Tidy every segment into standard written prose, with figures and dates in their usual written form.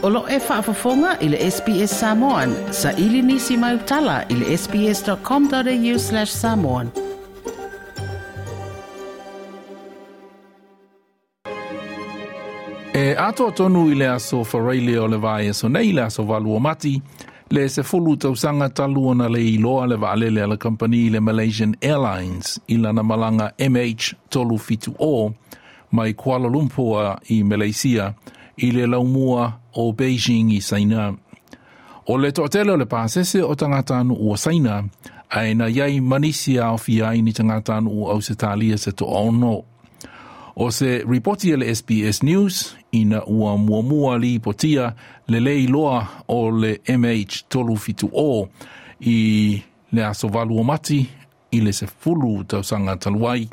O lo o e faafofoga i le SBS Samoan. Saili nisi mau tala i le sbs.com.au/samoan. E atoa tonu i le aso Faraile o le vaiaso nei le aso 8 o Mati, le 10 tausaga talu ona le iloa le vaalele a le kamupani le Malaysian Airlines i lana malaga MH370 mai Kuala Lumpur i Malaysia i le laumua o Beijing i Saina. O le toatele o le pasese o tagatanuu o Saina, ae na i ai ma nisi e aofia ai ni tagatanuu o Ausetalia se toaono. O se ripoti a le SBS News ina ua muamua lipotia le le iloa o le MH370 i le aso 8 o Mati i le 10 tausaga talu ai.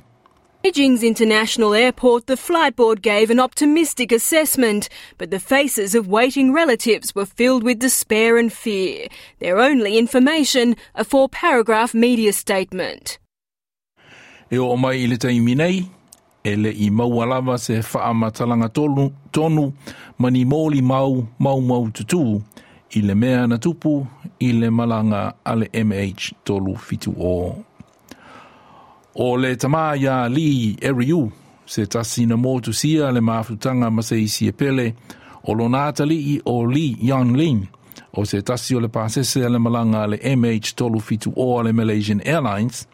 Beijing's International Airport, the flight board gave an optimistic assessment, but the faces of waiting relatives were filled with despair and fear. Their only information, a 4-paragraph media statement. E oo mai i le taimi nei, e le i maua lava se faamatalaga tonu ma ni molimau maumaututu i le mea na tupu i le malaga a le MH370. O le tama ia Lee Eriu, se tasi na motusia le mafutaga ma se isi e pele, o lona atalii o Lee Yanlin, o se tasi o le pasese a le malaga a le MH370 a le Malaysian Airlines,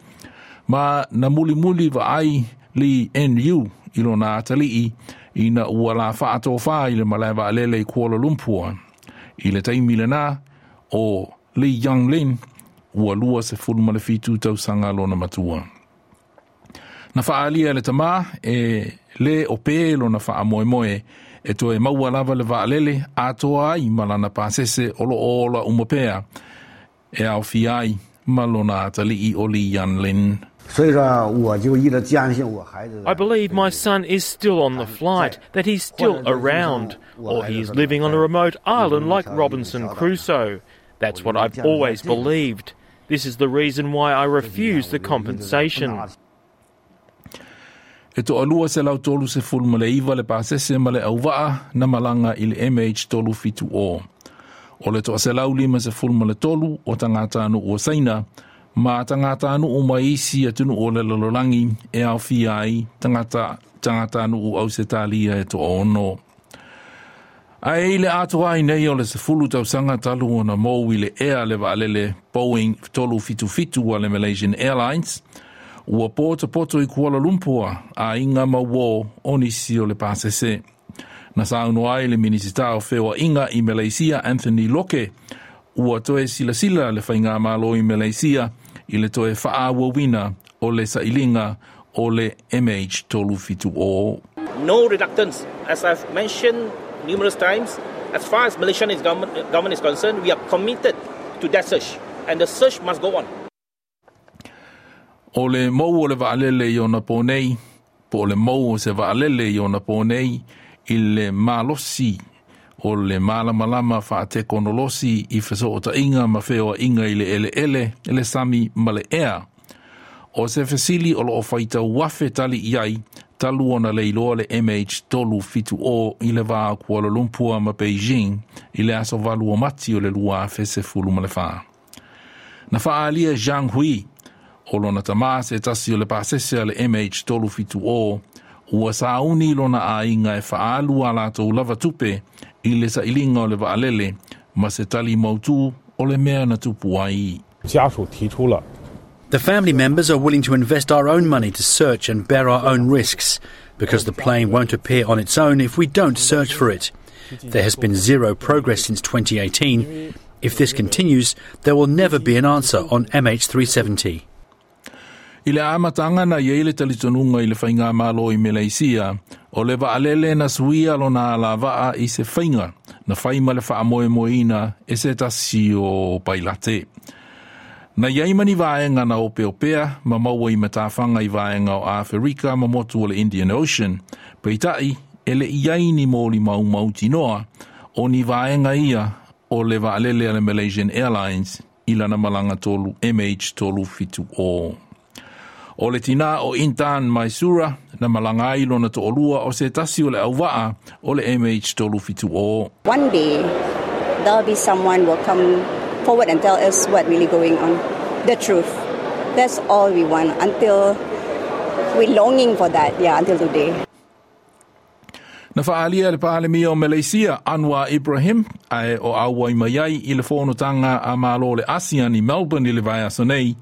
ma na mulimuli vaai Lee Nu i lona atalii ina ua la faatofā i le malae vaalele i Kuala Lumpur. I le taimi lena o Lee Yanlin ua 27 tausaga lona matua. Na faalia le tama e le o pē lona faamoemoe e toe maua lava le vaalele atoa ai ma lana pasese o loo ola uma pea e aofia ai ma lona atalii o Lee Yanlin. I believe my son is still on the flight, that he's still around, or he is living on a remote island like Robinson Crusoe. That's what I've always believed. This is the reason why I refuse the compensation. E 239 le pasese ma le auvaa na malaga i le MH370. O le 153 o tagatanuu o Saina, ma tagatanuu mai isi atunuu o le lalolagi e aofia ai tagatanuu o Ausetalia e 6. Ae i le atoa ai nei o le 10 tausaga talu ona mou i le ea le vaalele Boeing 377 a le Malaysian Airlines, ua potopoto i Kuala Lumpur aiga ma uō o nisi o le pasese. Na saunoa ai le Minisita o Feoaiga i Malaysia Anthony Loke, ua toe silasila le faigamalo i Malaysia i le toe faaauauina o le sailiga o le MH370. No reluctance. As I've mentioned numerous times, as far as Malaysian government is concerned, we are committed to that search, and the search must go on. O le mou o le vaalele i ona pō nei, po o le mou o se vaalele i ona pō nei i le malosi o le malamalama faatekonolosi i fesootaiga ma feoaiga i le eleele, le sami ma le ea. O se fesili o loo faitau afe tali i ai, talu ona le iloa le MH370 i le va o Kuala Lumpur ma Beijing i le aso 8 o Mati o le 2014. Na faaalia Zhang Hui, o lona tama se tasi o le pasese a le MH370, ua sauni lona aiga e faaalu a latou lava tupe i le sailiga o le vaalele ma se tali mautū o le mea na tupu ai. The family members are willing to invest our own money to search and bear our own risks, because the plane won't appear on its own if we don't search for it. There has been zero progress since 2018. If this continues, there will never be an answer on MH370. I le amataga na i ai le talitonuga i le faigamalo i Malaysia, o le vaalele na suia lona alavaa i se faiga na fai ma le faamoemoeina e se tasi o pailate. Na i ai ma ni vaega na opeopea ma maua i matafaga i vaega o Aferika ma motu o le Indian Ocean, peitai e le i ai ni molimau mautinoa o ni vaega ia o le vaalele a le Malaysian Airlines i lana malaga 3 MH370. O le tinā o Intan Maisura na malaga ai lona to'alua o se tasi o le auvaa o le MH370. One day, there'll be someone will come forward and tell us what really going on. The truth. That's all we want until we're longing for that, yeah, until today. Na fa'aalia le Palemia o Maleisia Anwar Ibrahim ae o auai mai ai i le fonotaga a Malo le ASEAN i Melbourne i le vaiaso nei,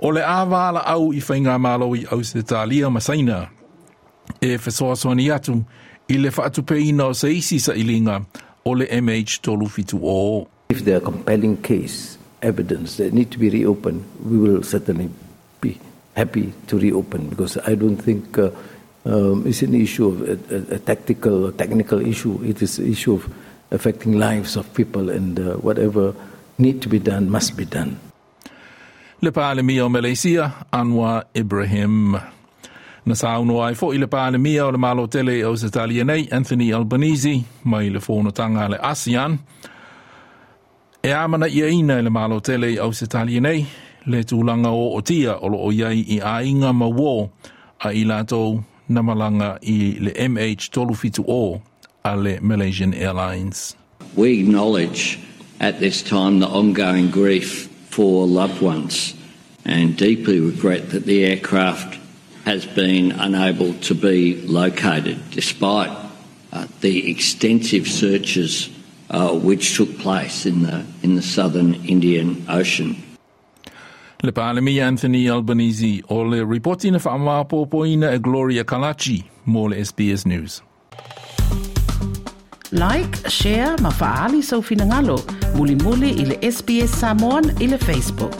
o le a valaau i faigamalo i Ausetalia ma Saina e fesoasoani atu i le fa'atupeina o se isi sa'iliga o le MH370. If there are compelling case evidence that need to be reopened, we will certainly be happy to reopen because I don't think it's an issue of a tactical or technical issue. It is an issue of affecting lives of people and whatever need to be done must be done. Le Palemia o Maleisia, Anwar Ibrahim. Na saunoa ai fo'i le Palemia o le Malo Tele o Ausetalia nei, Anthony Albanese, mai le fonotaga a le ASEAN, e amanaiaina e le Malo Tele o Ausetalia nei, le tulaga ootia o lo'o i ai i aiga ma uō a i latou na malaga i le MH370 a le Malaysian Airlines. We acknowledge at this time the ongoing grief for loved ones and deeply regret that the aircraft has been unable to be located despite the extensive searches which took place in the southern Indian Ocean. Le Palemia Anthony Albanese. O le ripoti na whaamapopoina e Gloria Kalachi mo le SBS News. Like, share ma fa'aali sou finagalo. Mulimuli i le SBS Samoan i le Facebook.